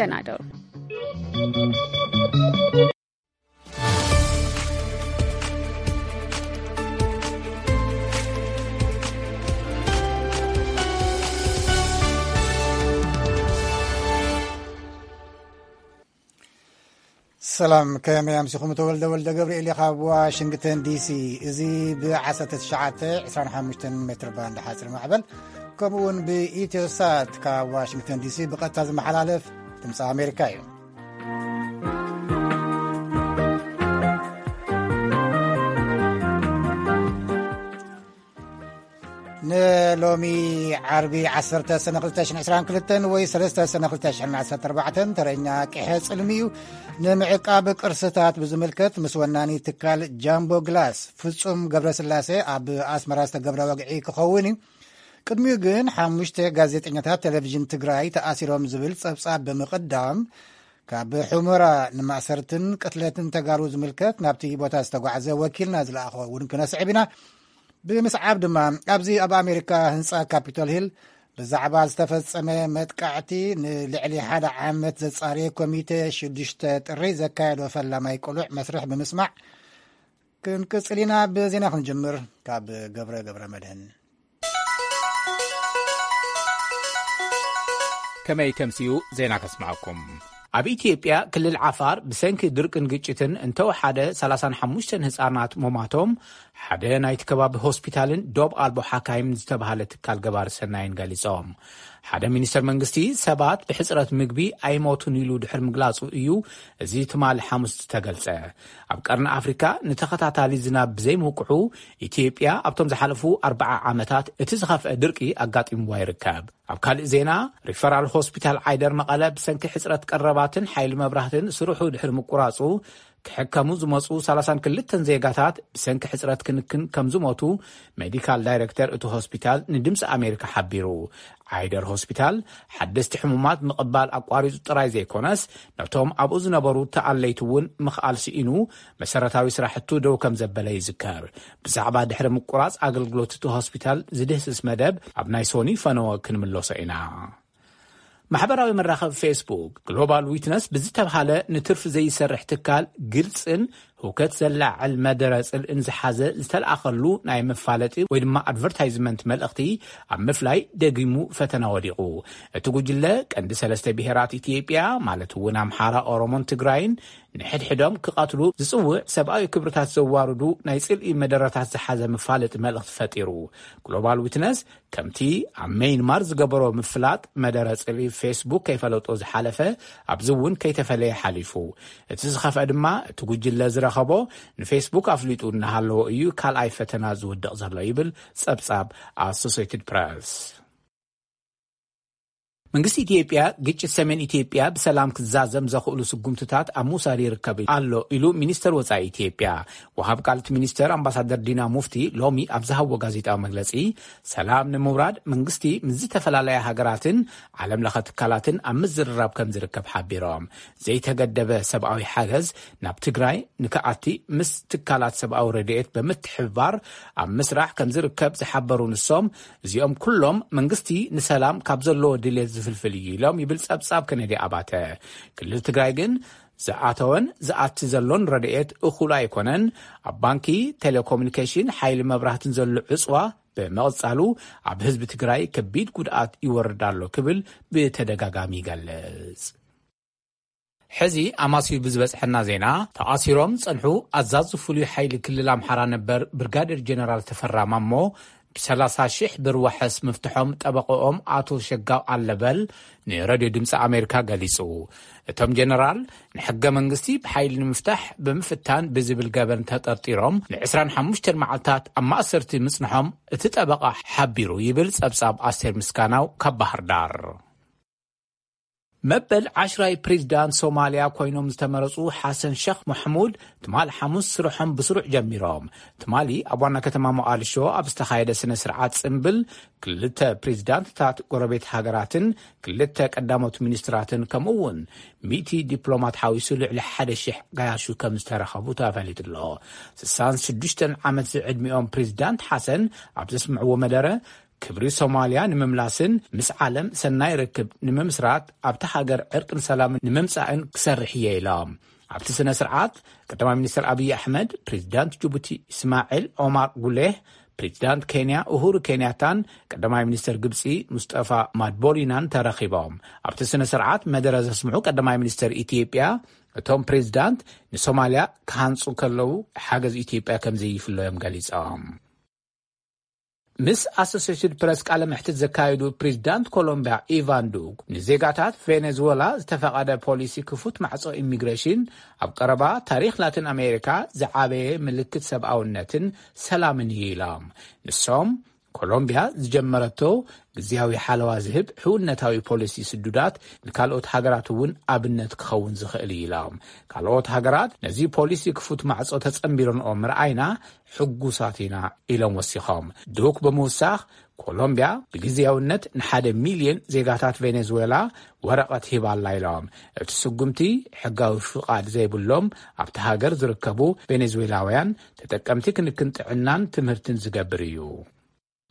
ደህና ደሩ። ሰላም፣ ከመይ ኣምሲኹም? ተወልደ ወልደ ገብርኤል እየ ካብ ዋሽንግተን ዲሲ። እዚ ብ1925 ሜትር ባንድ ሓፂር ማዕበል፣ ከምኡ እውን ብኢትዮሳት ካብ ዋሽንግተን ዲሲ ብቐጥታ ዝመሓላለፍ ድምፂ ኣሜሪካ እዩ። ንሎሚ ዓርቢ 10 ሰነ 2022 ወይ 3 ሰነ 2014 ተረኛ ቅሐ ጽልሚ እዩ። ንምዕቃብ ቅርስታት ብዝምልከት ምስ ወናኒ ትካል ጃምቦ ግላስ ፍጹም ገብረስላሴ ኣብ ኣስመራ ዝተገብረ ወግዒ ክኸውን እዩ። ቅድሚኡ ግን ሓሙሽተ ጋዜጠኛታት ቴሌቪዥን ትግራይ ተኣሲሮም ዝብል ጸብጻብ ብምቕዳም፣ ካብ ሑመራ ንማእሰርትን ቅትለትን ተጋሩ ዝምልከት ናብቲ ቦታ ዝተጓዕዘ ወኪልና ዝለኣኾ እውን ክነስዕብ ኢና። ብምስዓብ ድማ ኣብዚ ኣብ ኣሜሪካ ህንፃ ካፒቶል ሂል ብዛዕባ ዝተፈጸመ መጥቃዕቲ ንልዕሊ ሓደ ዓመት ዘጻረየ ኮሚቴ ሽዱሽተ ጥሪ ዘካየዶ ፈላማይ ቅሉዕ መስርሕ ብምስማዕ ክንቅጽል ኢና። ብዜና ክንጅምር ካብ ገብረ ገብረ መድህን። ከመይ ተምስዩ ዜና ከስምዓኩም። ኣብ ኢትዮጵያ ክልል ዓፋር ብሰንኪ ድርቅን ግጭትን እንተወሓደ 35 ህጻናት ሞማቶም ሓደ ናይቲ ከባቢ ሆስፒታልን ዶብ ኣልቦ ሓካይም ዝተባህለ ትካል ገባሪ ሰናይን ገሊጾም። ሓደ ሚኒስተር መንግስቲ ሰባት ብሕጽረት ምግቢ ኣይሞቱን ኢሉ ድሕሪ ምግላጹ እዩ እዚ ትማሊ ሓሙስ ዝተገልጸ። ኣብ ቀርኒ ኣፍሪካ ንተኸታታሊ ዝናብ ብዘይምውቅዑ ኢትዮጵያ ኣብቶም ዝሓለፉ ኣርባዓ ዓመታት እቲ ዝኸፍአ ድርቂ ኣጋጢምዋ ይርከብ። ኣብ ካልእ ዜና ሪፈራል ሆስፒታል ዓይደር መቐለ ብሰንኪ ሕጽረት ቀረባትን ሓይሊ መብራህትን ስርሑ ድሕሪ ምቁራጹ ክሕከሙ ዝመጹ 32 ዜጋታት ብሰንኪ ሕጽረት ክንክን ከም ዝሞቱ ሜዲካል ዳይሬክተር እቲ ሆስፒታል ንድምፂ ኣሜሪካ ሓቢሩ። ዓይደር ሆስፒታል ሓደስቲ ሕሙማት ምቕባል ኣቋሪጹ ጥራይ ዘይኮነስ ነቶም ኣብኡ ዝነበሩ ተኣለይቲ እውን ምኽኣል ስኢኑ መሰረታዊ ስራሕቱ ደው ከም ዘበለ ይዝከር። ብዛዕባ ድሕሪ ምቁራጽ ኣገልግሎት እቲ ሆስፒታል ዝድህስስ መደብ ኣብ ናይ ሶኒ ፈነወ ክንምለሶ ኢና። ማሕበራዊ መራኸቢ ፌስቡክ ግሎባል ዊትነስ ብዝተብሃለ ንትርፊ ዘይሰርሕ ትካል ግልጽን ህውከት ዘላዕል መደረ ጽልእን ዝሓዘ ዝተለኣኸሉ ናይ መፋለጢ ወይ ድማ ኣድቨርታይዝመንት መልእኽቲ ኣብ ምፍላይ ደጊሙ ፈተና ወዲቑ። እቲ ጉጅለ ቀንዲ ሰለስተ ብሄራት ኢትዮጵያ ማለት እውን ኣምሓራ፣ ኦሮሞን ትግራይን ንሕድሕዶም ክቐትሉ ዝጽውዕ ሰብኣዊ ክብርታት ዘዋርዱ ናይ ጽልኢ መደረታት ዝሓዘ መፋለጢ መልእኽቲ ፈጢሩ። ግሎባል ዊትነስ ከምቲ ኣብ መይንማር ዝገበሮ ምፍላጥ መደረ ጽልኢ ፌስቡክ ከይፈለጦ ዝሓለፈ ኣብዚ እውን ከይተፈለየ ሓሊፉ። እቲ ዝኸፍአ ድማ እቲ ጉጅለ ዝረኸቦ ንፌስቡክ ኣፍሊጡ እናሃለዎ እዩ ካልኣይ ፈተና ዝውድቕ ዘሎ ይብል ጸብጻብ ኣሶሴትድ ፕረስ። መንግስቲ ኢትዮጵያ ግጭት ሰሜን ኢትዮጵያ ብሰላም ክዛዘም ዘኽእሉ ስጉምትታት ኣብ ምውሳድ ይርከብ ኣሎ ኢሉ ሚኒስተር ወጻኢ ኢትዮጵያ። ወሃብ ቃል እቲ ሚኒስተር ኣምባሳደር ዲና ሙፍቲ ሎሚ ኣብ ዝሃብዎ ጋዜጣዊ መግለጺ ሰላም ንምውራድ መንግስቲ ምስ ዝተፈላለያ ሃገራትን ዓለም ለኸ ትካላትን ኣብ ምዝርራብ ከም ዝርከብ ሓቢሮም። ዘይተገደበ ሰብኣዊ ሓገዝ ናብ ትግራይ ንክኣቲ ምስ ትካላት ሰብኣዊ ረድኤት ብምትሕብባር ኣብ ምስራሕ ከም ዝርከብ ዝሓበሩ ንሶም እዚኦም ኩሎም መንግስቲ ንሰላም ካብ ዘለዎ ድሌት ዝፍልፍል እዩ ኢሎም ይብል ጸብጻብ ከነዲ ኣባተ። ክልል ትግራይ ግን ዝኣተወን ዝኣቲ ዘሎን ረድኤት እኹል ኣይኮነን። ኣብ ባንኪ፣ ቴሌኮሙኒኬሽን፣ ሓይሊ መብራህትን ዘሎ ዕፅዋ ብምቕጻሉ ኣብ ህዝቢ ትግራይ ከቢድ ጉድኣት ይወርድ ኣሎ ክብል ብተደጋጋሚ ይገልጽ። ሕዚ ኣማስዩ ብዝበጽሐና ዜና ተኣሲሮም ጸንሑ ኣዛዚ ፍሉይ ሓይሊ ክልል ኣምሓራ ነበር ብርጋዴር ጀነራል ተፈራ ማሞ ብ30 ሺሕ ብር ዋሕስ ምፍትሖም ጠበቆኦም ኣቶ ሸጋው ኣለበል ንረድዮ ድምፂ ኣሜሪካ ገሊጹ። እቶም ጀነራል ንሕገ መንግስቲ ብሓይሊ ንምፍታሕ ብምፍታን ብዝብል ገበን ተጠርጢሮም ን25 መዓልታት ኣብ ማእሰርቲ ምጽንሖም እቲ ጠበቃ ሓቢሩ ይብል ጸብጻብ ኣስቴር ምስጋናው ካብ ባህር ዳር። መበል ዓሽራይ ፕሬዚዳንት ሶማልያ ኮይኖም ዝተመረጹ ሓሰን ሸኽ መሕሙድ ትማሊ ሓሙስ ስርሖም ብስሩዕ ጀሚሮም። ትማሊ ኣብ ዋና ከተማ ሞቓድሾ ኣብ ዝተኻየደ ስነ ስርዓት ጽምብል ክልተ ፕሬዚዳንትታት ጎረቤት ሃገራትን ክልተ ቀዳሞት ሚኒስትራትን ከምኡ እውን ሚእቲ ዲፕሎማት ሓዊሱ ልዕሊ ሓደ ሺሕ ጋያሹ ከም ዝተረኸቡ ተፈሊጡ ኣሎ። ስሳን ሽዱሽተን ዓመት ዝዕድሚኦም ፕሬዚዳንት ሓሰን ኣብ ዘስምዕዎ መደረ ክብሪ ሶማልያ ንምምላስን ምስ ዓለም ሰናይ ርክብ ንምምስራት ኣብቲ ሃገር ዕርቅን ሰላምን ንምምጻእን ክሰርሕ እየ ኢሎም። ኣብቲ ስነ ስርዓት ቀዳማይ ሚኒስትር ኣብይ ኣሕመድ፣ ፕሬዚዳንት ጅቡቲ እስማዒል ኦማር ጉሌህ፣ ፕሬዚዳንት ኬንያ ኡሁሩ ኬንያታን ቀዳማይ ሚኒስትር ግብፂ ሙስጠፋ ማድቦሊናን ተረኺቦም። ኣብቲ ስነ ስርዓት መደረ ዘስምዑ ቀዳማይ ሚኒስትር ኢትዮጵያ፣ እቶም ፕሬዚዳንት ንሶማልያ ክሃንፁ ከለዉ ሓገዝ ኢትዮጵያ ከም ዘይፍለዮም ገሊፆም። ምስ ኣሶሴትድ ፕረስ ቃለ መሕትት ዘካየዱ ፕሬዚዳንት ኮሎምቢያ ኢቫን ዱክ፣ ንዜጋታት ቬኔዙዌላ ዝተፈቐደ ፖሊሲ ክፉት ማዕጾ ኢሚግሬሽን ኣብ ቀረባ ታሪኽ ላቲን ኣሜሪካ ዝዓበየ ምልክት ሰብኣውነትን ሰላምን እዩ ኢሎም። ንሶም፣ ኮሎምቢያ ዝጀመረቶ ግዝያዊ ሓለዋ ዝህብ ሕውነታዊ ፖሊሲ ስዱዳት ንካልኦት ሃገራት እውን ኣብነት ክኸውን ዝኽእል እዩ ኢሎም። ካልኦት ሃገራት ነዚ ፖሊሲ ክፉት ማዕጾ ተጸንቢረንኦ ምርኣይና ሕጉሳት ኢና ኢሎም ወሲኾም። ዱክ ብምውሳኽ፣ ኮሎምቢያ ብግዝያውነት ንሓደ ሚልዮን ዜጋታት ቬኔዙዌላ ወረቐት ሂባ ኣላ ኢሎም። እቲ ስጉምቲ፣ ሕጋዊ ፍቓድ ዘይብሎም ኣብቲ ሃገር ዝርከቡ ቬኔዙዌላውያን ተጠቀምቲ ክንክን ጥዕናን ትምህርትን ዝገብር እዩ።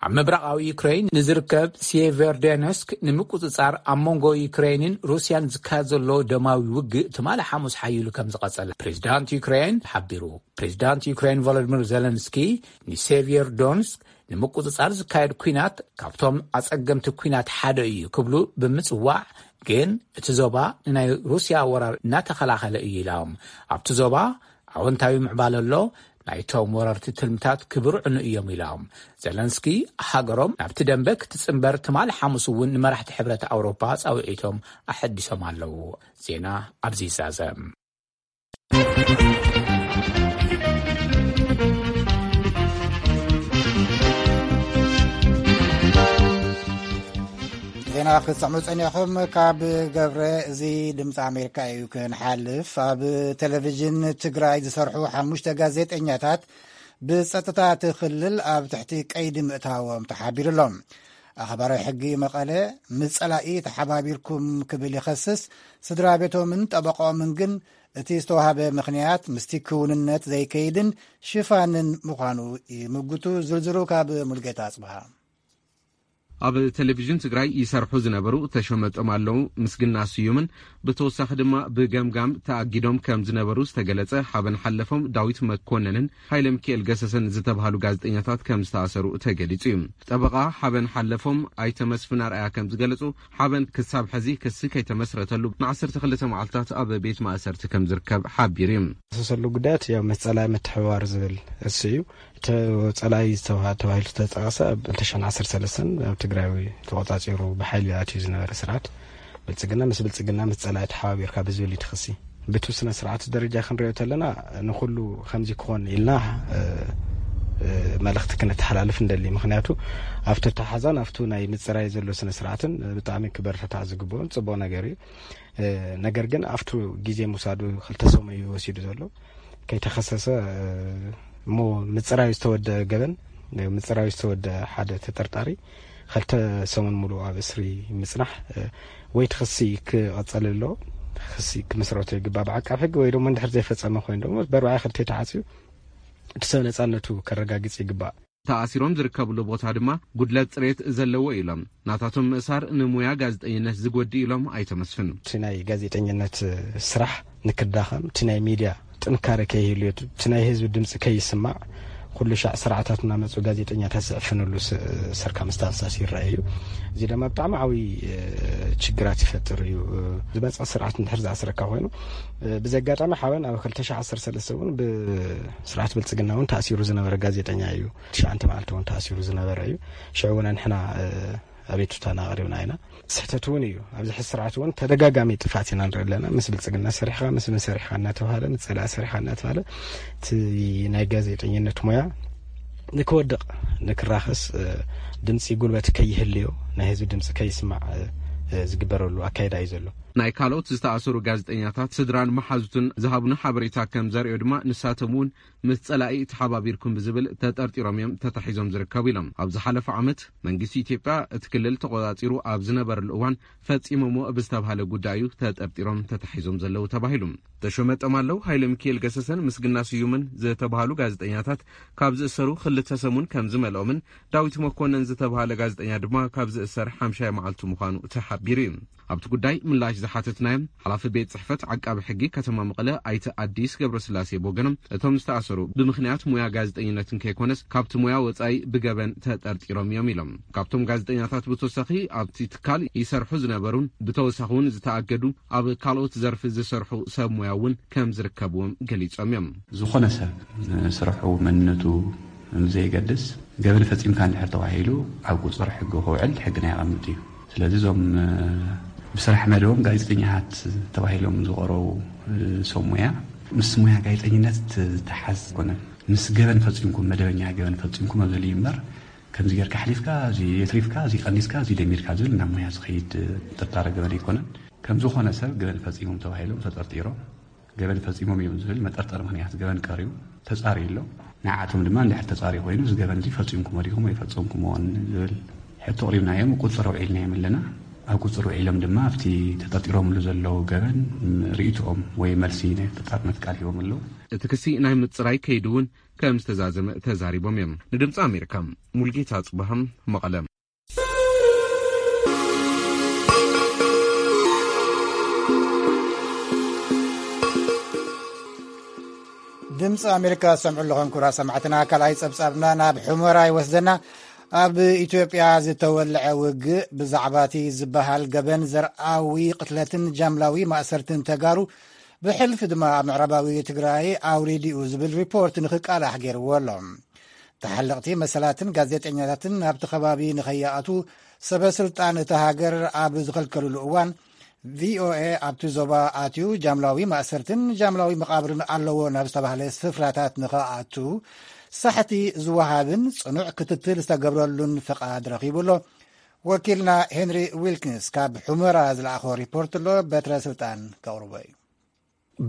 ኣብ ምብራቓዊ ዩክሬን ንዝርከብ ሲየቨርዴነስክ ንምቁጽጻር ኣብ መንጎ ዩክሬንን ሩስያን ዝካየድ ዘሎ ደማዊ ውግእ ትማሊ ሓሙስ ሓይሉ ከም ዝቐጸለ ፕሬዚዳንት ዩክሬን ሓቢሩ። ፕሬዚዳንት ዩክሬን ቮሎዲሚር ዜለንስኪ፣ ንሴቪየር ዶንስክ ንምቁጽጻር ዝካየድ ኲናት ካብቶም ኣጸገምቲ ኲናት ሓደ እዩ ክብሉ ብምጽዋዕ፣ ግን እቲ ዞባ ንናይ ሩስያ ወራር እናተኸላኸለ እዩ ኢሎም። ኣብቲ ዞባ ኣወንታዊ ምዕባለ ኣሎ፣ ናይቶም ወረርቲ ትልምታት ክብርዕኑ እዮም ኢሎም። ዘለንስኪ፣ ሃገሮም ናብቲ ደንበ ክትጽንበር ትማሊ ሓሙስ እውን ንመራሕቲ ሕብረት ኣውሮፓ ጻውዒቶም ኣሐዲሶም ኣለዉ። ዜና ኣብዚ ይዛዘም። ዜና ክትሰምዑ ጸኒሕኩም ካብ ገብረ። እዚ ድምፂ ኣሜሪካ እዩ። ክንሓልፍ፣ ኣብ ቴሌቪዥን ትግራይ ዝሰርሑ ሓሙሽተ ጋዜጠኛታት ብጸጥታ እቲ ክልል ኣብ ትሕቲ ቀይዲ ምእታዎም ተሓቢሩ ኣሎ። ኣኽባራዊ ሕጊ መቐለ ምስ ጸላኢ ተሓባቢርኩም ክብል ይኸስስ። ስድራ ቤቶምን ጠበቆምን ግን እቲ ዝተዋህበ ምኽንያት ምስቲ ክውንነት ዘይከይድን ሽፋንን ምዃኑ ይምጉቱ። ዝርዝሩ ካብ ሙልጌታ ኣጽብሃ። ኣብ ቴሌቪዥን ትግራይ ይሰርሑ ዝነበሩ ተሾመ ጦማለው፣ ምስግና ስዩምን ብተወሳኺ ድማ ብገምጋም ተኣጊዶም ከም ዝነበሩ ዝተገለጸ ሓበን ሓለፎም ዳዊት መኮነንን ሃይለ ሚካኤል ገሰሰን ዝተባሃሉ ጋዜጠኛታት ከም ዝተኣሰሩ ተገሊጹ እዩ። ጠበቓ ሓበን ሓለፎም ኣይተ መስፍን ኣርኣያ ከም ዝገለጹ፣ ሓበን ክሳብ ሕዚ ክሲ ከይተመስረተሉ ንዓሰርተ ክልተ መዓልታት ኣብ ቤት ማእሰርቲ ከም ዝርከብ ሓቢሩ እዩ። ዝኸሰሰሉ ጉዳያት ያው ምስ ጸላኢ ምትሕብባር ዝብል እሱ እዩ። እቲ ጸላኢ ዝተውሃ-፣ ተባሂሉ ዝተጠቐሰ ኣብ ክልተ ሽሕን ዓሰርተ ሰለስተን ኣብ ትግራይ ተቖጻጺሩ ብሓይሊ ኣትዩ ዝነበረ ስርዓት ብልጽግና፣ ምስ ብልጽግና ምስ ጸላኢ ተሓባቢርካ ብዝብል እዩ እቲ ክሲ። ብቲ ስነ ስርዓት ደረጃ ክንሪኦ ተለና ንኹሉ ከምዚ ክኾን ኢልና፣ እ፣ እ፣ መልእኽቲ ክነተሓላልፍ እንደሊ። ምኽንያቱ ኣብቲ ኣተሓዛን ኣብቱ ናይ ምጽራይ ዘሎ ስነ ስርዓትን ብጣዕሚ ክበረታታዕ ዝግብኦን ጽቡቕ ነገር እዩ። እ፣ ነገር ግን ኣብቱ ግዜ ምውሳዱ ክልተ ሰሙን እዩ ወሲዱ ዘሎ። ከይተኸሰሰ፣ እ፣ እሞ ምጽራዩ ዝተወደ ገበን፣ ምጽራዩ ዝተወደ ሓደ ተጠርጣሪ ክልተ ሰሙን ሙሉእ ኣብ እስሪ ምጽናሕ፣ እ፣ ወይ እቲ ክሲ ክቐጸል ኣለዎ፣ ክሲ ክምስረቶ ይግባእ ብዓቃብ ሕጊ፣ ወይ ደሞ እንድሕር ዘይፈጸመ ኮይኑ ደሞ በርባዕ ክልተ ተዓጽዩ እቲ ሰብ ነጻነቱ ከረጋግጽ ይግባእ። ተኣሲሮም ዝርከብሉ ቦታ ድማ ጉድለት ጽሬት ዘለዎ ኢሎም። ናታቶም ምእሳር ንሙያ ጋዜጠኝነት ዝጎድእ ኢሎም ኣይተ መስፍን። እቲ ናይ ጋዜጠኝነት ስራሕ ንክዳኸም፣ እቲ ናይ ሚድያ ጥንካረ ከይህልዮ፣ እቲ ናይ ህዝቢ ድምፂ ከይስማዕ፣ ኩሉ ሻዕ ስርዓታት እናመፁ ጋዜጠኛታት ዝዕፍንሉ ስ-፣ ሰርከምስታንሳስ ይረኣይ እዩ። እዚ ድማ ብጣዕሚ ዓብዪ፣ እ፣ ችግራት ይፈጥር እዩ። እ፣ ዝመፀ ስርዓት እንድሕር ዝኣስረካ ኮይኑ፣ እ፣ ብዚ ኣጋጣሚ ሓበን ኣብ ክልተ ሽሕ ዓሰርተ ሰለስተ እውን ብስርዓት ብልፅግና እውን ተኣሲሩ ዝነበረ ጋዜጠኛ እዩ። ትሽዓተ መዓልቲ እውን ተኣሲሩ ዝነበረ እዩ። ሽዑ እውን ንሕና፣ እ፣ ኣቤቱታና ኣቕሪብና ኢና። ስሕተት እውን እዩ። ኣብዚ ሕዚ ስርዓት እውን ተደጋጋሚ ጥፍኣት ኢና ንርኢ ኣለና። ምስ ብልፅግና ሰሪሕኻ፣ ምስ ምን ሰሪሕኻ እናተባሃለ፣ ምስ ፀላኢ ሰሪሕኻ እናተባሃለ፣ እቲ ናይ ጋዜጠኝነት ሞያ ንክወድቕ፣ ንክራኸስ፣ እ፣ ድምፂ ጉልበት ከይህልዮ፣ ናይ ህዝቢ ድምፂ ከይስማዕ፣ እ፣ እ፣ ዝግበረሉ ኣካይዳ እዩ ዘሎ። ናይ ካልኦት ዝተኣሰሩ ጋዜጠኛታት ስድራን መሓዙትን ዝሃቡና ሓበሬታ ከም ዘርእዮ ድማ፣ ንሳቶም እውን ምስ ጸላኢ ተሓባቢርኩም ብዝብል ተጠርጢሮም እዮም ተታሒዞም ዝርከቡ ኢሎም። ኣብ ዝሓለፈ ዓመት መንግስቲ ኢትዮጵያ እቲ ክልል ተቆጻጺሩ ኣብ ዝነበረሉ እዋን ፈጺሞሞ ብዝተባሃለ ጉዳይ እዩ ተጠርጢሮም ተታሒዞም ዘለዉ ተባሂሉ። ተሾመ ጠማለው፣ ሃይለ ሚካኤል ገሰሰን ምስግና ስዩምን ዝተባሃሉ ጋዜጠኛታት ካብ ዝእሰሩ ክልተ ሰሙን ከም ዝመልኦምን፣ ዳዊት መኮነን ዝተባሃለ ጋዜጠኛ ድማ ካብ ዝእሰር ሓምሻይ መዓልቱ ምዃኑ ተሓቢሩ እዩ። ኣብቲ ጉዳይ ምላሽ ዝሓተትናዮም ሓላፊ ቤት ጽሕፈት ዓቃቢ ሕጊ ከተማ መቐለ ኣይተ ኣዲስ ገብረስላሴ ብወገኖም፣ እቶም ዝተኣሰሩ ብምኽንያት ሙያ ጋዜጠኝነትን ከይኮነስ ካብቲ ሙያ ወጻኢ ብገበን ተጠርጢሮም እዮም ኢሎም። ካብቶም ጋዜጠኛታት ብተወሳኺ ኣብቲ ትካል ይሰርሑ ዝነበሩን ብተወሳኺ እውን ዝተኣገዱ ኣብ ካልኦት ዘርፊ ዝሰርሑ ሰብ ሙያ እውን ከም ዝርከብዎም ገሊጾም እዮም። ዝኾነ ሰብ ንስርሑ መንነቱ ዘይገድስ ገበን ፈጺምካ እንድሕር ተባሂሉ ኣብ ቁጽሪ ሕጊ ክውዕል ሕግና የቐምጥ እዩ። ስለዚ እዞም ብስራሕ መደቦም ጋዜጠኛታት ተባሂሎም ዝቐረቡ ሰብ ሙያ ምስ ሙያ ጋዜጠኝነት ዝተሓዝ ኣይኮነን። ምስ ገበን ፈጺምኩም፣ መደበኛ ገበን ፈጺምኩም ኣብ ዘልዩ እምበር፣ ከምዚ ጌርካ ሓሊፍካ፣ እዚ የትሪፍካ፣ እዚ ቀኒስካ፣ እዚ ደሚርካ ዝብል ናብ ሙያ ዝኸይድ ጥርጣረ ገበን ኣይኮነን። ከም ዝኾነ ሰብ ገበን ፈጺሞም ተባሂሎም ተጠርጢሮም፣ ገበን ፈጺሞም እዮም ዝብል መጠርጠሪ ምኽንያት ገበን ቀሪቡ ተጻርዩ ኣሎ። ንዓቶም ድማ እንድሕር ተጻርዩ ኮይኑ፣ እዚ ገበን እዚ ፈጺምኩሞ ዲኹም ወይ ፈጸምኩምዎን ዝብል ሕቶ ኣቕሪብናዮም፣ ቁጽር ኣውዒልናዮም ኣለና። ኣብ ቁጽር ውዒሎም ድማ ኣብቲ ተጠርጢሮምሉ ዘለዉ ገበን ርእይቶኦም ወይ መልሲ ናይ ተጣርነት ቃል ሂቦም ኣለዉ። እቲ ክሲ ናይ ምጽራይ ከይዱ እውን ከም ዝተዛዘመ ተዛሪቦም እዮም። ንድምፂ ኣሜሪካ ሙልጌታ ጽባሃም፣ መቐለ። ድምፂ ኣሜሪካ ዝሰምዑ ኣለኹም ክቡራት ሰማዕትና። ካልኣይ ጸብጻብና ናብ ሑመራ ይወስደና። ኣብ ኢትዮጵያ ዝተወልዐ ውግእ ብዛዕባ እቲ ዝበሃል ገበን ዘርኣዊ ቅትለትን ጃምላዊ ማእሰርትን ተጋሩ ብሕልፊ ድማ ኣብ ምዕራባዊ ትግራይ ኣውሪዲኡ ዝብል ሪፖርት ንክቃላሕ ገይርዎ ኣሎ። ተሓለቕቲ መሰላትን ጋዜጠኛታትን ናብቲ ከባቢ ንኸይኣትዉ ሰበ ስልጣን እታ ሃገር ኣብ ዝኸልከልሉ እዋን፣ ቪኦኤ ኣብቲ ዞባ ኣትዩ ጃምላዊ ማእሰርትን ጃምላዊ መቓብርን ኣለዎ ናብ ዝተባህለ ስፍራታት ንኸኣቱ ሳሕቲ ዝወሃብን ጽኑዕ ክትትል ዝተገብረሉን ፍቓድ ረኺቡ ኣሎ። ወኪልና ሄንሪ ዊልኪንስ ካብ ሑመራ ዝለኣኾ ሪፖርት ኣሎ፣ በትረ ስልጣን ከቕርቦ እዩ።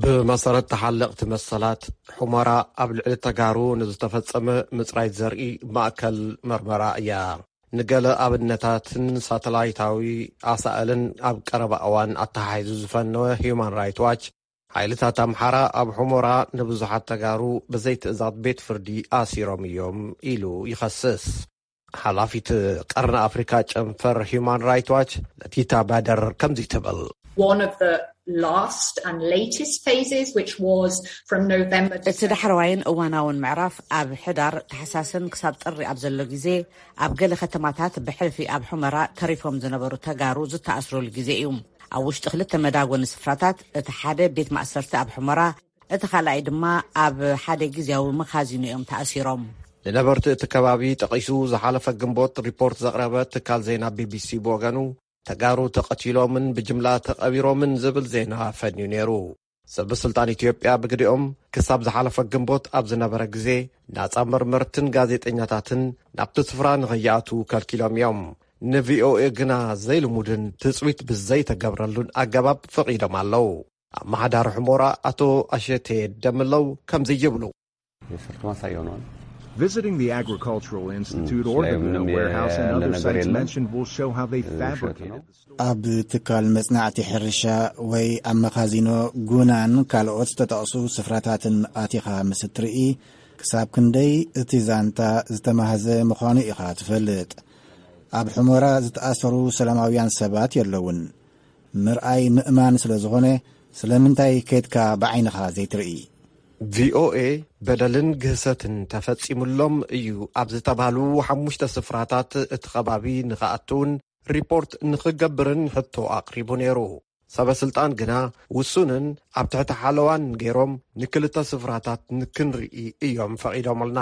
ብመሰረት ተሓለቕቲ መሰላት፣ ሑመራ ኣብ ልዕሊ ተጋሩ ንዝተፈጸመ ምጽራይ ዘርኢ ማእከል መርመራ እያ። ንገለ ኣብነታትን ሳተላይታዊ ኣሳእልን ኣብ ቀረባ እዋን ኣተሓሒዙ ዝፈነወ ሂዩማን ራይት ዋች፣ ሓይልታት ኣምሓራ ኣብ ሑመራ ንብዙሓት ተጋሩ ብዘይትእዛዝ ቤት ፍርዲ ኣሲሮም እዮም ኢሉ ይኸስስ። ሓላፊት ቀርኒ ኣፍሪካ ጨንፈር ሂዩማን ራይት ዋች ለቲታ ባደር ከምዚ ትብል። One of the last and latest phases, which was from November to እቲ ዳሕረዋይን እዋናውን ምዕራፍ ኣብ ሕዳር፣ ታሕሳስን ክሳብ ጥሪ ኣብ ዘሎ ግዜ ኣብ ገለ ከተማታት ብሕልፊ ኣብ ሑመራ ተሪፎም ዝነበሩ ተጋሩ ዝተኣስሩሉ ግዜ እዩ። ኣብ ውሽጢ ክልተ መዳጎኒ ስፍራታት፣ እቲ ሓደ ቤት ማእሰርቲ ኣብ ሑመራ፣ እቲ ካልኣይ ድማ ኣብ ሓደ ግዝያዊ መኻዚኖ እዮም ተኣሲሮም። ንነበርቲ እቲ ከባቢ ጠቒሱ ዝሓለፈ ግንቦት ሪፖርት ዘቕረበ ትካል ዜና ቢቢሲ ብወገኑ፣ ተጋሩ ተቐቲሎምን ብጅምላ ተቐቢሮምን ዝብል ዜና ፈንዩ ነይሩ። ሰበ ስልጣን ኢትዮጵያ ብግዲኦም፣ ክሳብ ዝሓለፈ ግንቦት ኣብ ዝነበረ ግዜ፣ ናጻ መርመርትን ጋዜጠኛታትን ናብቲ ስፍራ ንኸይኣትዉ ከልኪሎም እዮም። ንቪኦኤ ግና ዘይልሙድን ትጽቢት ብዘይተገብረሉን ኣገባብ ፈቒዶም ኣለዉ። ኣመሓዳሪ ሑመራ ኣቶ ኣሸቴ ደምለው ከምዚ ይብሉ። Visiting the Agricultural Institute or the Buna warehouse and other sites mentioned will show how they fabricated the story. ኣብ ትካል መጽናዕቲ ሕርሻ ወይ ኣብ መኻዚኖ ጉናን ካልኦት ዝተጠቕሱ ስፍራታትን ኣቲኻ ምስ እትርኢ፣ ክሳብ ክንደይ እቲ ዛንታ ዝተማህዘ ምዃኑ ኢኻ ትፈልጥ። ኣብ ሑመራ ዝተኣሰሩ ሰላማውያን ሰባት የለውን። ምርኣይ ምእማን ስለ ዝኾነ፣ ስለምንታይ ከድካ ብዓይንኻ ዘይትርኢ? ቪኦኤ በደልን ግህሰትን ተፈጺሙሎም እዩ ኣብ ዝተባህሉ ሓሙሽተ ስፍራታት እቲ ከባቢ ንኽኣትውን ሪፖርት ንኽገብርን ሕቶ ኣቕሪቡ ነይሩ። ሰበ ስልጣን ግና ውሱንን ኣብ ትሕቲ ሓለዋን ገይሮም ንክልተ ስፍራታት ንክንርኢ እዮም ፈቒዶምልና።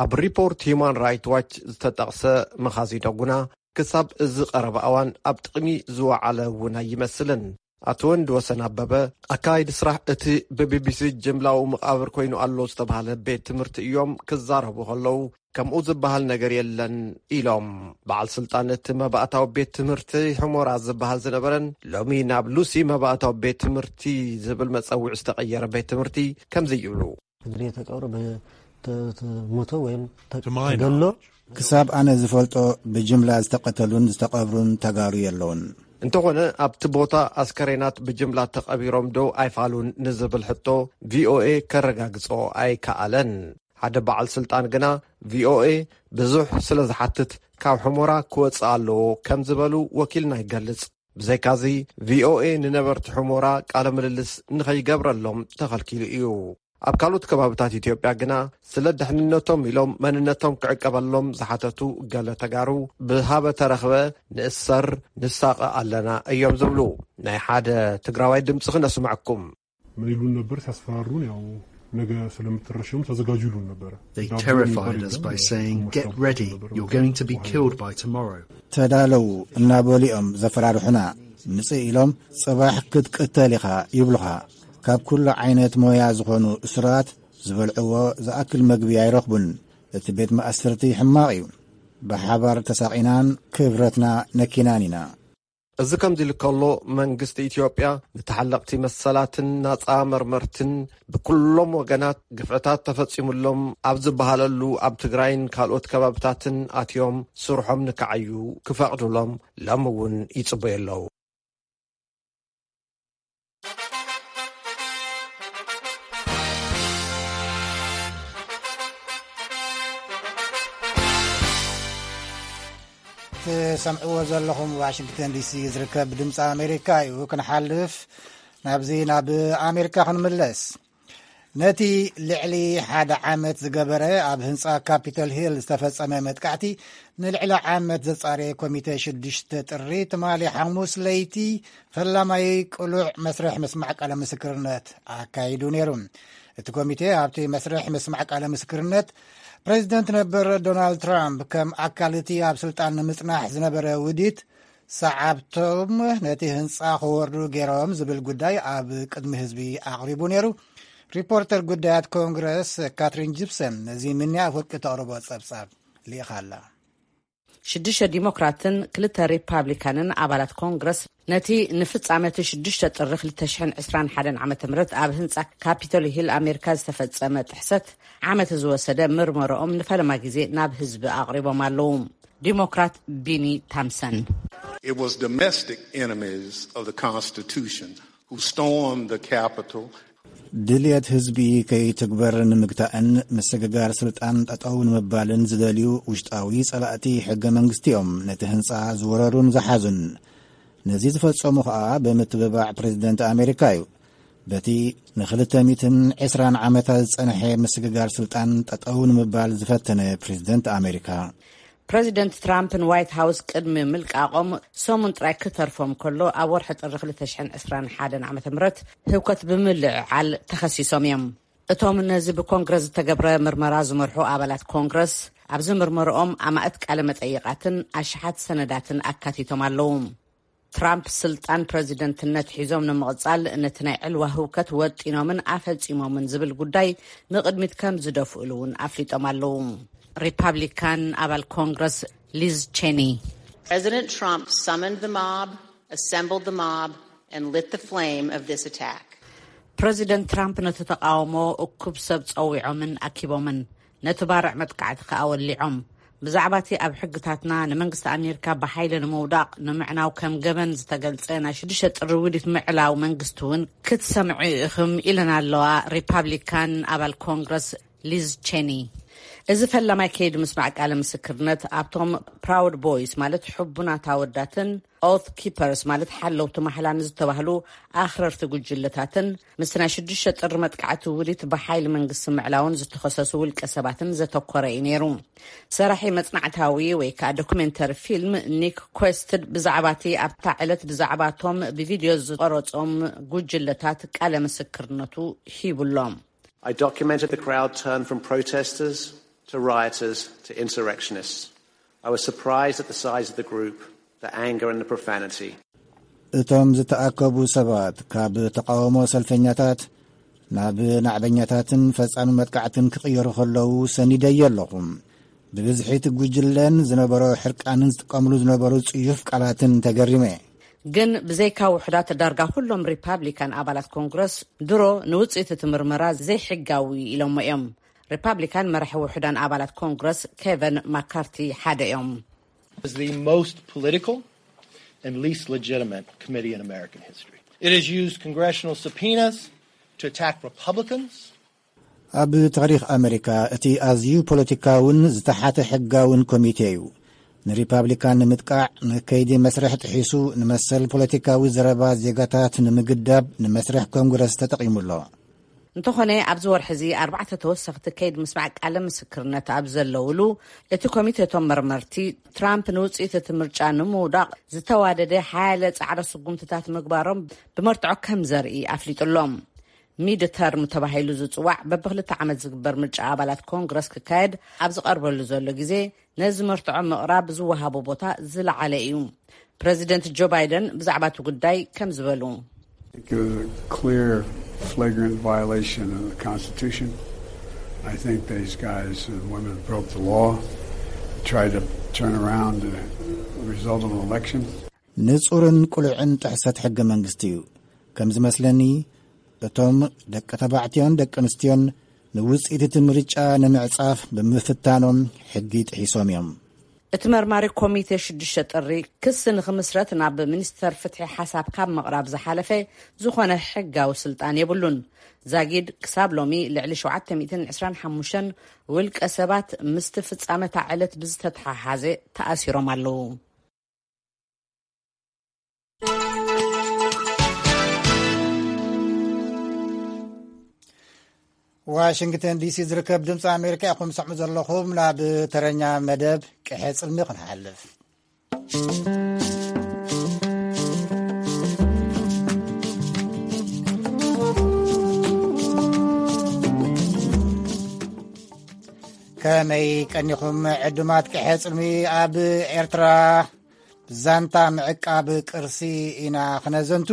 ኣብ ሪፖርት ሂዩማን ራይት ዋች ዝተጠቕሰ መኻዚኖ ጉና ክሳብ እዚ ቀረባ እዋን ኣብ ጥቕሚ ዝወዓለ እውን ኣይመስልን። ኣቶ ወንድ ወሰን ኣበበ፣ ኣካይዲ ስራሕ እቲ ብቢቢሲ ጅምላዊ መቓብር ኮይኑ ኣሎ ዝተባህለ ቤት ትምህርቲ እዮም ክዛረቡ ከለዉ፣ ከምኡ ዝበሃል ነገር የለን ኢሎም። በዓል ስልጣን እቲ መባእታዊ ቤት ትምህርቲ ሕሞራ ዝበሃል ዝነበረን ሎሚ ናብ ሉሲ መባእታዊ ቤት ትምህርቲ ዝብል መጸውዒ ዝተቐየረ ቤት ትምህርቲ ከምዚ ይብሉ። ክሳብ ኣነ ዝፈልጦ ብጅምላ ዝተቐተሉን ዝተቐብሩን ተጋሩ የለውን። እንተኾነ ኣብቲ ቦታ ኣስከሬናት ብጅምላ ተቐቢሮም ዶ ኣይፋሉን ንዝብል ሕቶ ቪኦኤ ከረጋግጾ ኣይከኣለን። ሓደ በዓል ስልጣን ግና ቪኦኤ ብዙሕ ስለ ዝሓትት ካብ ሕሞራ ክወጽእ ኣለዎ ከም ዝበሉ ወኪልና ይገልጽ። ብዘይካዚ ቪኦኤ ንነበርቲ ሕሞራ ቃለ ምልልስ ንኸይገብረሎም ተኸልኪሉ እዩ። ኣብ ካልኦት ከባብታት ኢትዮጵያ ግና ስለ ድሕንነቶም ኢሎም መንነቶም ክዕቀበሎም ዝሓተቱ ገለ ተጋሩ ብሃበ ተረኽበ ንእሰር ንሳቐ ኣለና እዮም ዝብሉ። ናይ ሓደ ትግራዋይ ድምፂ ክነስምዐኩም። ምን ይሉን ነበር ሲያስፈራሩን፣ ያው ነገ ስለምትረሸኑ ተዘጋጁ ይሉን ነበረ። They terrified us by saying, "Get ready, you're going to be killed by tomorrow." ተዳለው እናበሉ እዮም ዘፈራርሑና። ምጽእ ኢሎም ጽባሕ ክትቅተል ኢኻ ይብሉኻ። ካብ ኩሉ ዓይነት ሞያ ዝኾኑ እሱራት ዝበልዕዎ ዝኣክል መግቢ ኣይረኽቡን። እቲ ቤት ማእሰርቲ ሕማቕ እዩ። ብሓባር ተሳቒናን ክብረትና ነኪናን ኢና። እዚ ከምዚ ኢሉ ከሎ፣ መንግስቲ ኢትዮጵያ ንተሓለቕቲ መሰላትን ናጻ መርመርትን ብኩሎም ወገናት ግፍዕታት ተፈጺሙሎም ኣብ ዝበሃለሉ ኣብ ትግራይን ካልኦት ከባብታትን ኣትዮም ስርሖም ንክዓዩ ክፈቕዱሎም ሎሚ እውን ይጽበዩ ኣለዉ። ትሰምዕዎ ዘለኹም ዋሽንግተን ዲሲ ዝርከብ ድምፂ ኣሜሪካ እዩ። ክንሓልፍ ናብዚ ናብ ኣሜሪካ ክንምለስ። ነቲ ልዕሊ ሓደ ዓመት ዝገበረ ኣብ ህንፃ ካፒቶል ሂል ዝተፈፀመ መጥቃዕቲ ንልዕሊ ዓመት ዘፃረየ ኮሚተ ሽዱሽተ ጥሪ ትማሊ ሓሙስ ለይቲ ፈላማይ ቅሉዕ መስርሕ ምስማዕ ቃለ ምስክርነት ኣካይዱ ነይሩ። እቲ ኮሚቴ ኣብቲ መስርሕ ምስማዕ ቃለ ምስክርነት ፕሬዚደንት ነበር ዶናልድ ትራምፕ ከም ኣካል እቲ ኣብ ስልጣን ንምጽናሕ ዝነበረ ውዲት ሰዓብቶም ነቲ ህንጻ ክወርዱ ገይሮም ዝብል ጉዳይ ኣብ ቅድሚ ህዝቢ ኣቕሪቡ ነይሩ። ሪፖርተር ጉዳያት ኮንግረስ ካትሪን ጂፕሰን ነዚ ምንያ ኣፍወርቂ ተቕርቦ ጸብጻብ ልኢኻ ኣላ። ሽዱሽተ ዲሞክራትን ክልተ ሪፓብሊካንን ኣባላት ኮንግረስ ነቲ ንፍጻመ እቲ ሽዱሽተ ጥሪ ክልተ ሽሕን ዕስራን ሓደን ዓመተ ምህረት ኣብ ህንጻ ካፒቶል ሂል ኣሜሪካ ዝተፈጸመ ጥሕሰት ዓመት ዝወሰደ ምርመርኦም ንፈለማ ግዜ ናብ ህዝቢ ኣቕሪቦም ኣለዉ። ዲሞክራት ቢኒ ታምሰን It was domestic enemies of the Constitution who stormed the Capitol. ድልየት ህዝቢ ከይትግበር ንምግታእን ምስግጋር ስልጣን ጠጠው ንምባልን ዝደልዩ ውሽጣዊ ጸላእቲ ሕገ መንግስቲ እዮም ነቲ ህንጻ ዝወረሩን ዝሓዙን። ነዚ ዝፈጸሙ ኸኣ ብምትብባዕ ፕሬዝደንት ኣሜሪካ እዩ። በቲ ንክልተ ሚእትን ዕስራን ዓመታት ዝጸንሐ ምስግጋር ስልጣን ጠጠው ንምባል ዝፈተነ ፕሬዝደንት ኣሜሪካ። ፕረዚደንት ትራምፕ ንዋይት ሃውስ ቅድሚ ምልቃቖም ሰሙን ጥራይ ክተርፎም ከሎ፣ ኣብ ወርሒ ጥሪ ክልተ ሽሕን ዕስራን ሓደን ዓመተ ምህረት ህውከት ብምልዕዓል ተኸሲሶም እዮም። እቶም ነዚ ብኮንግረስ ዝተገብረ ምርመራ ዝመርሑ ኣባላት ኮንግረስ፣ ኣብዚ ምርመርኦም ኣማእት ቃለ መጠይቓትን ኣሽሓት ሰነዳትን ኣካቲቶም ኣለዉ። ትራምፕ ስልጣን ፕረዚደንትነት ሒዞም ንምቕጻል ነቲ ናይ ዕልዋ ህውከት ወጢኖምን ኣፈጺሞምን ዝብል ጉዳይ ንቕድሚት ከም ዝደፍእሉ እውን ኣፍሊጦም ኣለዉ። ሪፓብሊካን ኣባል ኮንግረስ ሊዝ ቼኒ President Trump summoned the mob, assembled the mob, and lit the flame of this attack. ፕረዚደንት ትራምፕ ነቲ ተቓውሞ እኩብ ሰብ ጸዊዖምን ኣኪቦምን ነቲ ባርዕ መጥቃዕቲ ከኣ ወሊዖም። ብዛዕባ እቲ ኣብ ሕግታትና ንመንግስቲ ኣሜሪካ ብሓይሊ ንምውዳቕ ንምዕናው ከም ገበን ዝተገልጸ ናይ ሽዱሽተ ጥሪ ውዲት ምዕላው መንግስቲ እውን ክትሰምዑ ኢኹም ኢለን ኣለዋ ሪፓብሊካን ኣባል ኮንግረስ ሊዝ ቼኒ። እዚ ፈላማይ ከይዲ ምስማዕ ቃለ ምስክርነት ኣብቶም ፕራውድ ቦይስ ማለት ሕቡናት ኣወዳትን ኦት ኪፐርስ ማለት ሓለውቲ ማሕላ ንዝተባህሉ ኣኽረርቲ ጉጅለታትን ምስ ናይ ሽዱሽተ ጥሪ መጥቃዕቲ ውዲት ብሓይሊ መንግስቲ ምዕላውን ዝተኸሰሱ ውልቀ ሰባትን ዘተኮረ እዩ ነይሩ። ሰራሒ መጽናዕታዊ ወይ ከዓ ዶኩሜንተሪ ፊልም ኒክ ኮስትድ ብዛዕባ እቲ ኣብታ ዕለት ብዛዕባቶም ብቪድዮ ዝቐረጾም ጉጅለታት ቃለ ምስክርነቱ ሂቡሎም። I documented the crowd turn from protesters to rioters to insurrectionists. I was surprised at the size of the group, the anger and the profanity. እቶም ዝተኣከቡ ሰባት ካብ ተቓውሞ ሰልፈኛታት ናብ ናዕበኛታትን ፈጻሚ መጥቃዕትን ክቕየሩ ከለዉ ሰኒደዮ ኣለኹ። ብብዝሒ እቲ ጉጅለን ዝነበሮ ሕርቃንን ዝጥቀምሉ ዝነበሩ ጽዩፍ ቃላትን ተገሪመ። ግን ብዘይካ ውሑዳት ዳርጋ ኩሎም ሪፓብሊካን ኣባላት ኮንግረስ ድሮ ንውጽኢት እቲ ምርመራ ዘይሕጋዊ ኢሎሞ እዮም። ሪፓብሊካን መራሒ ውሑዳን ኣባላት ኮንግረስ ኬቨን ማካርቲ ሓደ እዮም። Is the most political and least legitimate committee in American history. It has used congressional subpoenas to attack Republicans. ኣብ ታሪኽ ኣመሪካ እቲ ኣዝዩ ፖለቲካውን ዝተሓተ ሕጋውን ኮሚቴ እዩ። ንሪፓብሊካን ንምጥቃዕ፣ ንከይዲ መስርሕ ጥሒሱ፣ ንመሰል ፖለቲካዊ ዘረባ ዜጋታት ንምግዳብ ንመስርሕ ኮንግረስ ተጠቒሙ ኣሎ። እንተኾነ፣ ኣብዚ ወርሒ እዚ ኣርባዕተ ተወሰኽቲ ከይዲ ምስማዕ ቃለ ምስክርነት ኣብ ዘለውሉ፣ እቲ ኮሚቴ እቶም መርመርቲ ትራምፕ ንውፅኢት እቲ ምርጫ ንምውዳቕ ዝተዋደደ ሓያለ ፃዕረ ስጉምትታት ምግባሮም ብመርትዖ ከም ዘርኢ ኣፍሊጡ ኣሎ። ሚድ ተርም ተባሂሉ ዝፅዋዕ በብክልተ ዓመት ዝግበር ምርጫ ኣባላት ኮንግረስ ክካየድ ኣብ ዝቐርበሉ ዘሎ ግዜ፣ ነዚ መርትዖ ምቕራብ ዝወሃቦ ቦታ ዝለዓለ እዩ። ፕረዚደንት ጆ ባይደን ብዛዕባ እቲ ጉዳይ ከም ዝበሉ። It was a clear, flagrant violation of the Constitution. I think these guys and women broke the law, tried to turn around the result of an election. ንጹርን ቅሉዕን ጥሕሰት ሕገ መንግስቲ እዩ። ከም ዝመስለኒ፣ እቶም ደቂ ተባዕትዮን ደቂ ኣንስትዮን ንውጽኢት እቲ ምርጫ ንምዕጻፍ ብምፍታኖም ሕጊ ጥሒሶም እዮም። እቲ መርማሪ ኮሚቴ ሽዱሽተ ጥሪ ክሲ ንኽምስረት ናብ ሚኒስተር ፍትሒ ሓሳብ ካብ ምቕራብ ዝሓለፈ ዝኾነ ሕጋዊ ስልጣን የብሉን። ዛጊድ ክሳብ ሎሚ ልዕሊ ሸውዓተ ሚእትን ዕስራን ሓሙሽተን ውልቀ ሰባት ምስቲ ፍጻመ እታ ዕለት ብዝተተሓሓዘ ተኣሲሮም ኣለዉ። ዋሽንግተን ዲሲ ዝርከብ ድምፂ ኣሜሪካ ኢኹም ሰምዑ ዘለኹም። ናብ ተረኛ መደብ ቅሐ ፅልሚ ክንሓልፍ። ከመይ ቀኒኹም ዕዱማት ቅሐ ፅልሚ? ኣብ ኤርትራ ዛንታ ምዕቃብ ቅርሲ ኢና ክነዘንቱ።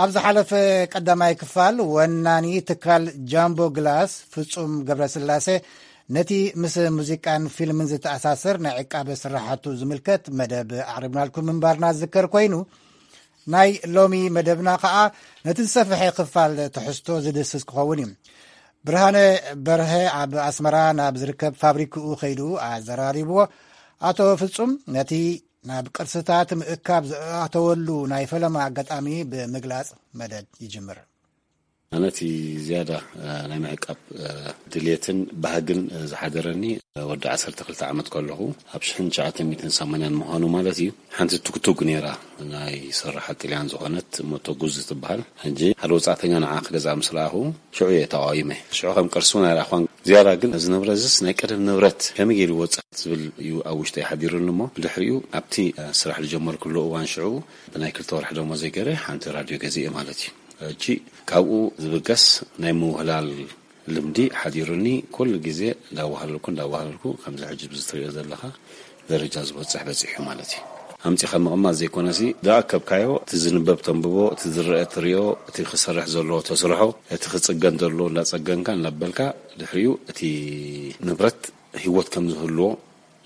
ኣብ ዝሓለፈ ቀዳማይ ክፋል፣ ወናኒ ትካል ጃምቦ ግላስ ፍጹም ገብረስላሴ ነቲ ምስ ሙዚቃን ፊልምን ዝተኣሳሰር ናይ ዕቃበ ስራሓቱ ዝምልከት መደብ ኣቕሪብናልኩም ምንባርና ዝዝከር ኮይኑ፣ ናይ ሎሚ መደብና ኸኣ ነቲ ዝሰፍሐ ክፋል ትሕዝቶ ዝድህስስ ክኸውን እዩ። ብርሃነ በርሀ ኣብ ኣስመራ ናብ ዝርከብ ፋብሪክኡ ከይዱ ኣዘራሪብዎ። ኣቶ ፍጹም ነቲ ናብ ቅርስታት ምእካብ ዝኣተወሉ ናይ ፈለማ ኣጋጣሚ ብምግላጽ መደብ ይጅምር። ኣነ እቲ ዝያዳ ናይ ምዕቃብ ድልየትን ባህግን ዝሓደረኒ ወዲ ዓሰርተ ክልተ ዓመት ከለኹ ኣብ ሽሕን ትሽዓተ ሚእትን ሰማንያን ምዃኑ ማለት እዩ። ሓንቲ ቱግቱግ ነይራ ናይ ስራሓ ጥልያን ዝኾነት ሞቶ ጉዝ ትበሃል። ሕጂ ሓደ ወጻእተኛ ንዓ ክገዝኣ ምስ ረኣኹ ሽዑ እየ ተቓዊመ። ሽዑ ከም ቅርሲ እውን ኣይረኣኽዋን። ዝያዳ ግን እዚ ንብረት እዚስ ናይ ቀደም ንብረት ከመይ ገይሩ ይወጽእ ዝብል እዩ ኣብ ውሽጠይ ሓዲሩኒ እሞ ብድሕሪኡ ኣብቲ ስራሕ ዝጀመርኩሉ እዋን ሽዑ ብናይ ክልተ ወርሒ ደሞዘይ ገይረ ሓንቲ ራድዮ ገዚኤ ማለት እዩ። ሕጂ ካብኡ ዝብገስ ናይ ምውህላል ልምዲ ሓዲሩኒ ኩሉ ግዜ እንዳዋህለልኩ እንዳዋህለልኩ ከምዚ ሕጂ ብዚ ትሪኦ ዘለኻ ደረጃ ዝበፅሕ በፂሑ ማለት እዩ። ኣምፂኻ ምቕማጥ ዘይኮነሲ ዝኣከብካዮ እቲ ዝንበብ ተንብቦ፣ እቲ ዝረአ ትሪኦ፣ እቲ ክሰርሕ ዘለዎ ተስርሖ፣ እቲ ክፅገን ዘለዎ እንዳፀገንካ እንዳበልካ ድሕሪኡ እቲ ንብረት ህይወት ከም ዝህልዎ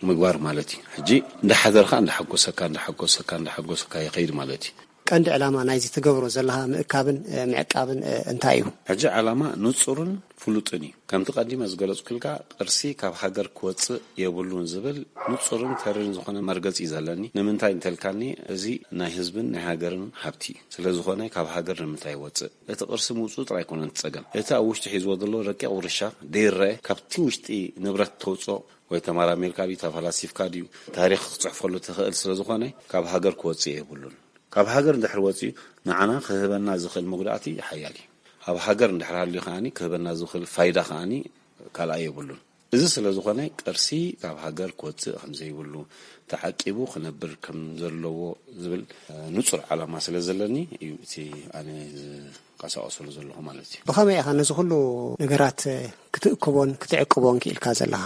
ምግባር ማለት እዩ። ሕጂ እንዳሓደርካ እንዳሓጎሰካ እንዳሓጎሰካ እንዳሓጎሰካ ይኸይድ ማለት እዩ። ቀንዲ ዕላማ ናይዚ ትገብሮ ዘለኻ ምእካብን ምዕቃብን እንታይ እዩ? ሕጂ ዕላማ ንጹርን ፍሉጥን እዩ። ከምቲ ቀዲመ ዝገለጽኩልካ ቅርሲ ካብ ሃገር ክወጽእ የብሉን ዝብል ንጹርን ተርን ዝኾነ መርገጺ እዩ ዘለኒ። ንምንታይ እንተልካኒ እዚ ናይ ህዝብን ናይ ሃገርን ሃብቲ እዩ። ስለዝኾነ ካብ ሃገር ንምንታይ ይወጽእ? እቲ ቅርሲ ምውጽኡ ጥራይ ኣይኮነን እቲ ጸገም። እቲ ኣብ ውሽጢ ሒዝዎ ዘሎ ረቂቕ ውርሻ ደይረአ ካብቲ ውሽጢ ንብረት ተውጽኦ ወይ ተመራሚርካ ድዩ ተፈላሲፍካ ድዩ ታሪኽ ክትጽሕፈሉ ትኽእል ስለዝኾነ ካብ ሃገር ክወጽእ የብሉን። ካብ ሃገር እንድሕር ወጺኡ ንዓና ክህበና ዝኽእል መጉዳእቲ ሓያል እዩ። ኣብ ሃገር እንድሕር ሃልዩ ከኣኒ ክህበና ዝኽእል ፋይዳ ከኣኒ ካልኣይ የብሉን። እዚ ስለ ዝኾነ ቅርሲ ካብ ሃገር ክወጽእ ከም ዘይብሉ፣ ተዓቂቡ ክነብር ከም ዘለዎ ዝብል ንጹር ዓላማ ስለ ዘለኒ እዩ እቲ ኣነ ዝንቀሳቐሰሉ ዘለኹ ማለት እዩ። ብኸመይ ኢኻ ነዚ ኩሉ ነገራት ክትእክቦን ክትዕቅቦን ክኢልካ ዘለኻ?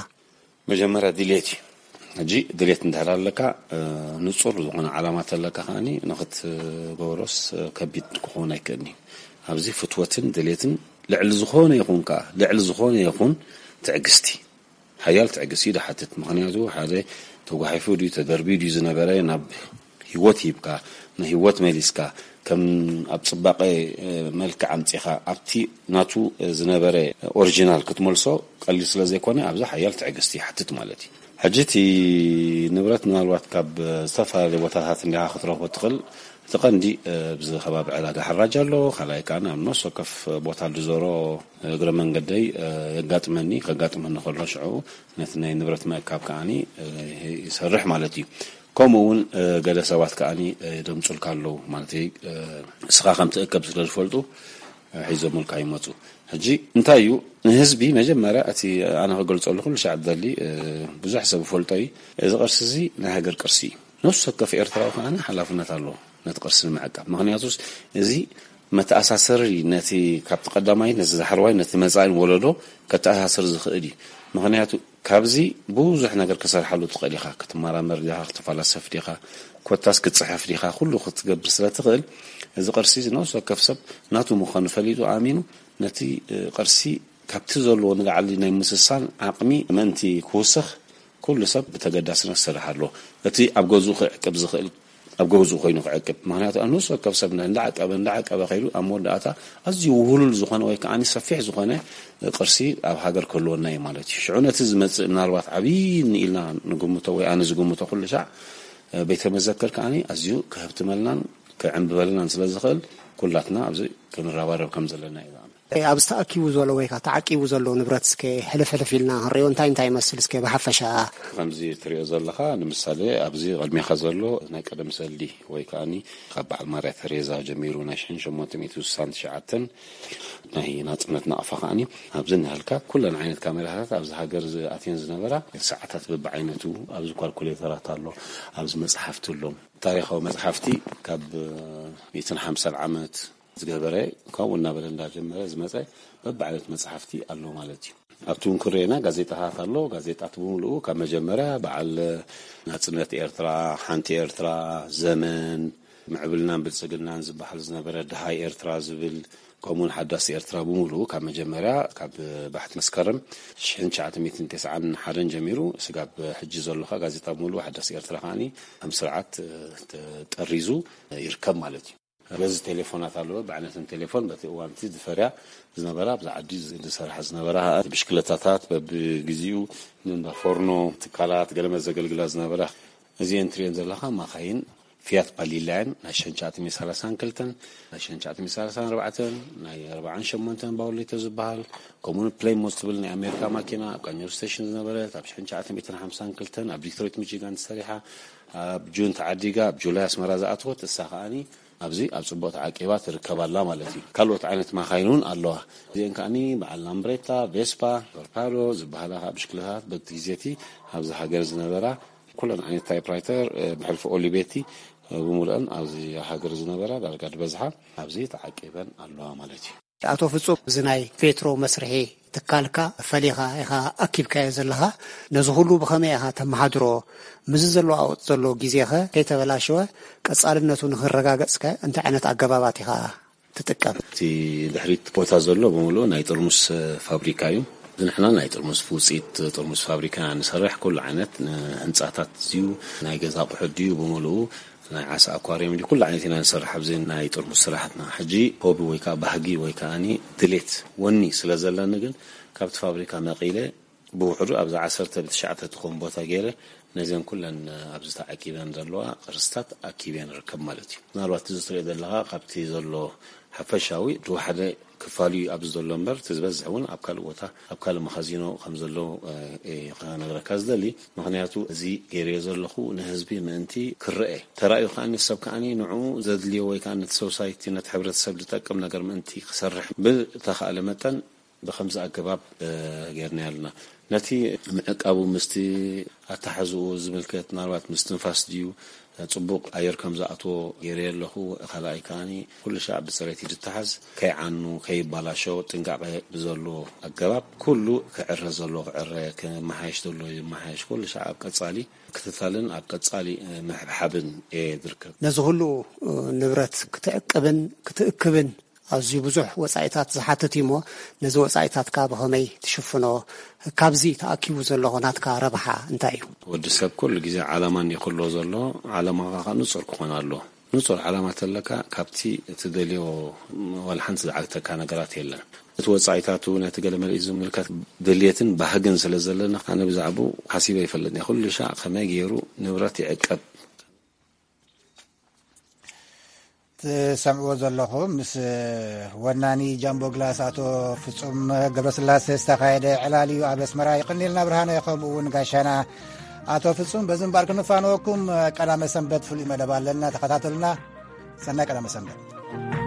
መጀመርያ ድሌት እዩ። ሕጂ ድሌት እንድሕር ኣለካ፣ ንጹር ዝኾነ ዓላማ ተለካ ከኣኒ ንኽትገብሮስ ከቢድ ክኸውን ኣይክእልን እዩ። ኣብዚ ፍትወትን ድሌትን ልዕሊ ዝኾነ ይኹን ከኣ ልዕሊ ዝኾነ ይኹን ትዕግስቲ ሓያል ትዕግስቲ እዩ ዝሓትት። ምኽንያቱ ሓደ ተጓሒፉ ድዩ ተደርብዩ ድዩ ዝነበረ ናብ ህይወት ሂብካ፣ ንህይወት መሊስካ፣ ከም ኣብ ጽባቐ መልክዕ ኣምጺኻ ኣብቲ ናቱ ዝነበረ ኦሪጂናል ክትመልሶ ቀሊል ስለ ዘይኮነ፣ ኣብዚ ሓያል ትዕግስቲ ይሓትት ማለት እዩ። ሕጂ እቲ ንብረት ምናልባት ካብ ዝተፈላለዩ ቦታታት እንዲኻ ክትረኽቦ ትኽእል። እቲ ቀንዲ ኣብዚ ከባቢ ዕዳጋ ሓራጅ ኣሎ። ካልኣይ ከኣ ኣብ ነፍሲ ወከፍ ቦታ ዝዞሮ እግረ መንገደይ የጋጥመኒ፣ ከጋጥመኒ ከሎ ሽዑ ነቲ ናይ ንብረት ምእካብ ከኣ ይሰርሕ ማለት እዩ። ከምኡ እውን ገለ ሰባት ከኣ ደምጹልካ ኣለዉ ማለት እዩ። እስኻ ከም ትእከብ ስለ ዝፈልጡ ሒዞምልካ ይመጹ። ሕጂ እንታይ እዩ ንህዝቢ መጀመርያ እቲ ኣነ ክገልጸሉ ኩሉ ሻዕ ደሊ ብዙሕ ሰብ ፈልጦ እዩ። እዚ ቅርሲ እዚ ናይ ሃገር ቅርሲ እዩ። ነፍሲ ወከፍ ኤርትራዊ ከኣ ሓላፍነት ኣለዎ ነቲ ቅርሲ ንምዕቃብ። ምኽንያቱስ እዚ መተኣሳሰሪ ነቲ ካብቲ ቀዳማይ ነቲ ዳሕረዋይ ነቲ መጻኢ ወለዶ ከተኣሳስር ዝኽእል እዩ። ምኽንያቱ ካብዚ ብዙሕ ነገር ክሰርሓሉ ትኽእል ኢኻ። ክትመራመር ዲኻ፣ ክትፈላሰፍ ዲኻ፣ ኮታስ ክትጽሕፍ ዲኻ፣ ኩሉ ክትገብር ስለ ትኽእል እዚ ቅርሲ እዚ ነፍሲ ወከፍ ሰብ ናቱ ምዃኑ ፈሊጡ ኣሚኑ ነቲ ቅርሲ ካብቲ ዘለዎ ንላዕሊ ናይ ምስሳን ዓቕሚ ምእንቲ ክውስኽ ኩሉ ሰብ ብተገዳስነት ክሰርሕ ኣለዎ። እቲ ኣብ ገዝኡ ክዕቅብ ዝኽእል ኣብ ገዝኡ ኮይኑ ክዕቅብ። ምኽንያቱ ኣብ ነፍሲ ወከፍ ሰብ እንዳዓቀበ እንዳዓቀበ ከይዱ ኣብ መወዳእታ ኣዝዩ ውህሉል ዝኾነ ወይ ከኣ ሰፊሕ ዝኾነ ቅርሲ ኣብ ሃገር ክህልወና እዩ ማለት እዩ። ሽዑ ነቲ ዝመጽእ ምናልባት ዓብዪ ኢልና ንግምቶ ወይ ኣነ ዝግምቶ ኩሉ ሻዕ ቤተ መዘክር ከኣ ኣዝዩ ክህብትመልናን ክዕንብበልናን ስለ ዝኽእል ኩላትና ኣብዚ ክንረባረብ ከም ዘለና እዩ ዝኣምን። ኣብዚ ተኣኪቡ ዘሎ ወይ ከዓ ተዓቂቡ ዘሎ ንብረት እስከ ሕልፍ ሕልፍ ኢልና ክንሪኦ እንታይ እንታይ ይመስል እስከ ብሓፈሻ? ከምዚ ትሪኦ ዘለኻ ንምሳሌ ኣብዚ ቅድሜኻ ዘሎ ናይ ቀደም ሰልዲ ወይ ከኣኒ ካብ በዓል ማርያ ተሬዛ ጀሚሩ ናይ ሽሕን ሸሞንተ ሚእቲ ስሳን ትሽዓተን ናይ ናጽነት ናቕፋ ከኣኒ ኣብዚ እናሃልካ ኩለን ዓይነት ካሜራታት ኣብዚ ሃገር ዝኣትየን ዝነበራ ሰዓታት በብዓይነቱ ኣብዚ ኳልኩሌተራት ኣሎ፣ ኣብዚ መጽሓፍቲ ኣሎ። ታሪኻዊ መጽሓፍቲ ካብ ሚእትን ሓምሳን ዓመት ዝገበረ ካብኡ እናበለ እንዳጀመረ ዝመፀ በብዓይነት መፅሓፍቲ ኣሎ ማለት እዩ። ኣብቲ እውን ክርኤና ጋዜጣታት ኣሎ። ጋዜጣት ብምልኡ ካብ መጀመርያ በዓል ናፅነት ኤርትራ፣ ሓንቲ ኤርትራ፣ ዘመን፣ ምዕብልናን ብልፅግናን ዝበሃል ዝነበረ፣ ደሃይ ኤርትራ ዝብል፣ ከምኡውን ሓዳስ ኤርትራ ብምልኡ ካብ መጀመርያ ካብ ባሕቲ መስከረም ሽሕን ትሽዓተ ሚእትን ተስዓን ሓደን ጀሚሩ ስጋብ ሕጂ ዘሎ ከዓ ጋዜጣ ብምልኡ ሓዳስ ኤርትራ ከዓኒ ከም ስርዓት ተጠሪዙ ይርከብ ማለት እዩ። በዚ ቴሌፎናት ኣለዎ። ብዓይነትን ቴሌፎን በቲ እዋን እቲ ዝፈርያ ዝነበራ፣ ኣብዚ ዓዲ ዝሰርሓ ዝነበራ ብሽክለታታት፣ በብግዚኡ ንእንዳ ፎርኖ ትካላት ገለመ ዘገልግላ ዝነበራ፣ እዚአን ትሪኤን ዘለኻ ማኻይን ፊያት ባሊላ እየን። ናይ ሽሕን ትሽዓተ ሚእትን ሰላሳን ክልተን፣ ናይ ሽሕን ትሽዓተ ሚእትን ሰላሳን ኣርባዕተን፣ ናይ ኣርባዓን ሸሞንተን ባውሌቶ ዝበሃል፣ ከምኡውን ፕሌይሞት ትብል ናይ ኣሜሪካ ማኪና ኣብ ቃኘው ስቴሽን ዝነበረት፣ ኣብ ሽሕን ትሽዓተ ሚእትን ሓምሳን ክልተን ኣብ ዲትሮይት ሚቺጋን ተሰሪሓ፣ ኣብ ጁን ተዓዲጋ ኣብ ጁላይ ኣስመራ ዝኣተወት፣ እሳ ከኣኒ ኣብዚ ኣብ ጽቡቕ ተዓቂባ ትርከብ ኣላ ማለት እዩ። ካልኦት ዓይነት ማኻይን እውን ኣለዋ። እዚአን ከኣኒ በዓል ላምብሬታ፣ ቬስፓ፣ ቶርፓዶ ዝበሃላ ከዓ ብሽክለታት በቲ ግዜ እቲ ኣብዚ ሃገር ዝነበራ ኩለን ዓይነት ታይፕራይተር፣ እ፣ ብሕልፊ ኦሊቬቲ፣ እ፣ ብምሉአን ኣብዚ ሃገር ዝነበራ ዳርጋ ዝበዝሓ ኣብዚ ተዓቂበን ኣለዋ ማለት እዩ። ኣቶ ፍጹም፣ እዚ ናይ ፔትሮ መስርሒ ትካልካ ፈሊኻ ኢኻ ኣኪብካዮ ዘለኻ። ነዚ ኩሉ ብኸመይ ኢኻ ተመሓድሮ? ምስዚ ዘለዋወጥ ዘሎ ግዜኸ ከይተበላሸወ ቀጻልነቱ ንኽረጋገጽከ እንታይ ዓይነት ኣገባባት ኢኻ ትጥቀም? እቲ ድሕሪት ቦታ ዘሎ ብምሉኡ ናይ ጥርሙስ ፋብሪካ እዩ። ንሕና ናይ ጥርሙስ ውፅኢት ጥርሙስ ፋብሪካ ንሰርሕ። ኩሉ ዓይነት ንህንፃታት ድዩ፣ ናይ ገዛ ኣቑሑት ድዩ፣ ብምሉኡ ናይ ዓሳ ኣኳርየም ድዩ፣ ኩሉ ዓይነት ኢና ንሰርሕ ኣብዚ ናይ ጥርሙስ ስራሕትና። ሕጂ ሆቢ ወይ ከዓ ባህጊ ወይ ከዓኒ ድሌት ወኒ ስለ ዘለኒ ግን ካብቲ ፋብሪካ መቒለ ብውሕዱ ኣብዛ ዓሰርተ ብትሽዓተ ትኸውን ቦታ ገይረ ነዘን ኩለን ኣብዚ ተዓቂበን ዘለዋ ቅርስታት ኣኪበ ንርከብ ማለት እዩ። ምናልባት እዚ ትሪኦ ዘለኻ ካብቲ ዘሎ ሓፈሻዊ ዝወሓደ ክፋል እዩ ኣብዚ ዘሎ እምበር፣ እቲ ዝበዝሕ እውን ኣብ ካልእ ቦታ፣ ኣብ ካልእ መኻዚኖ ከም ዘሎ፣ እ፣ እየ ክነግረካ ዝደሊ። ምኽንያቱ እዚ ገይረዮ ዘለኹ ንህዝቢ ምእንቲ ክረአ። ተራእዩ ከኣ ሰብ ከኣ ንዕኡ ዘድልዮ ወይ ከኣ ነቲ ሶሳይቲ፣ ነቲ ሕብረተሰብ ዝጠቅም ነገር ምእንቲ ክሰርሕ ብተኻእለ መጠን ብኸምዚ ኣገባብ፣ እ፣ ጌርናዮ ኣለና። ነቲ ምዕቃቡ ምስቲ ኣተሓዝኡ ዝምልከት ምናልባት ምስትንፋስ ድዩ፣ ጽቡቕ ኣየር ከም ዝኣትዎ ገይረዮ ኣለኹ። ካልኣይ ከኣኒ ኩሉ ሻዕ ብጽሬት እዩ ዝተሓዝ። ከይዓኑ፣ ከይባላሾ ጥንቃቐ ብዘሎ ኣገባብ ኩሉ ክዕረ ዘሎ ክዕረ፣ ክመሓየሽ ዘሎ ይመሓየሽ። ኩሉ ሻዕ ኣብ ቀጻሊ ክትታልን ኣብ ቀጻሊ፣ እ፣ ምሕብሓብን እየ ዝርከብ። ነዚ ኩሉ፣ እ፣ ንብረት ክትዕቅብን ክትእክብን ኣዝዩ ብዙሕ ወጻኢታት ዝሓትት እዩ እሞ፣ ነዚ ወጻኢታትካ ብኸመይ ትሽፍኖ? ካብዚ ተኣኪቡ ዘሎ ናትካ ረብሓ እንታይ እዩ? ወዲ ሰብ ኩሉ ግዜ ዓላማ እንዲዩ ክህልዎ ዘሎ፣ ዓላማኻ ኸኣ ንጹር ክኾን ኣለዎ። ንጹር ዓላማ ተለካ ካብቲ እትደልዮ ዋላ ሓንቲ ዝዓግተካ ነገራት የለን። እቲ ወጻኢታቱ ነቲ ገለ መለ ዝምልከት ድልየትን ባህግን ስለ ዘለና ኣነ ብዛዕባኡ ሓሲበ ይፈልጥን እየ። ኩሉ ሻዕ ከመይ ገይሩ ንብረት ይዕቀብ። ትሰምዕዎ ዘለኹም ምስ ወናኒ ጃምቦ ግላስ ኣቶ ፍጹም ገብረስላሴ ዝተኻየደ ዕላል እዩ ኣብ ኣስመራ። ይቕኒልና ብርሃነ ከምኡ እውን ጋሻና ኣቶ ፍጹም። በዚ እምበኣር ክንፋነወኩም ቀዳመ ሰንበት ፍሉይ መደብ ኣለና፣ ተኸታተሉና። ሰናይ ቀዳመ ሰንበት።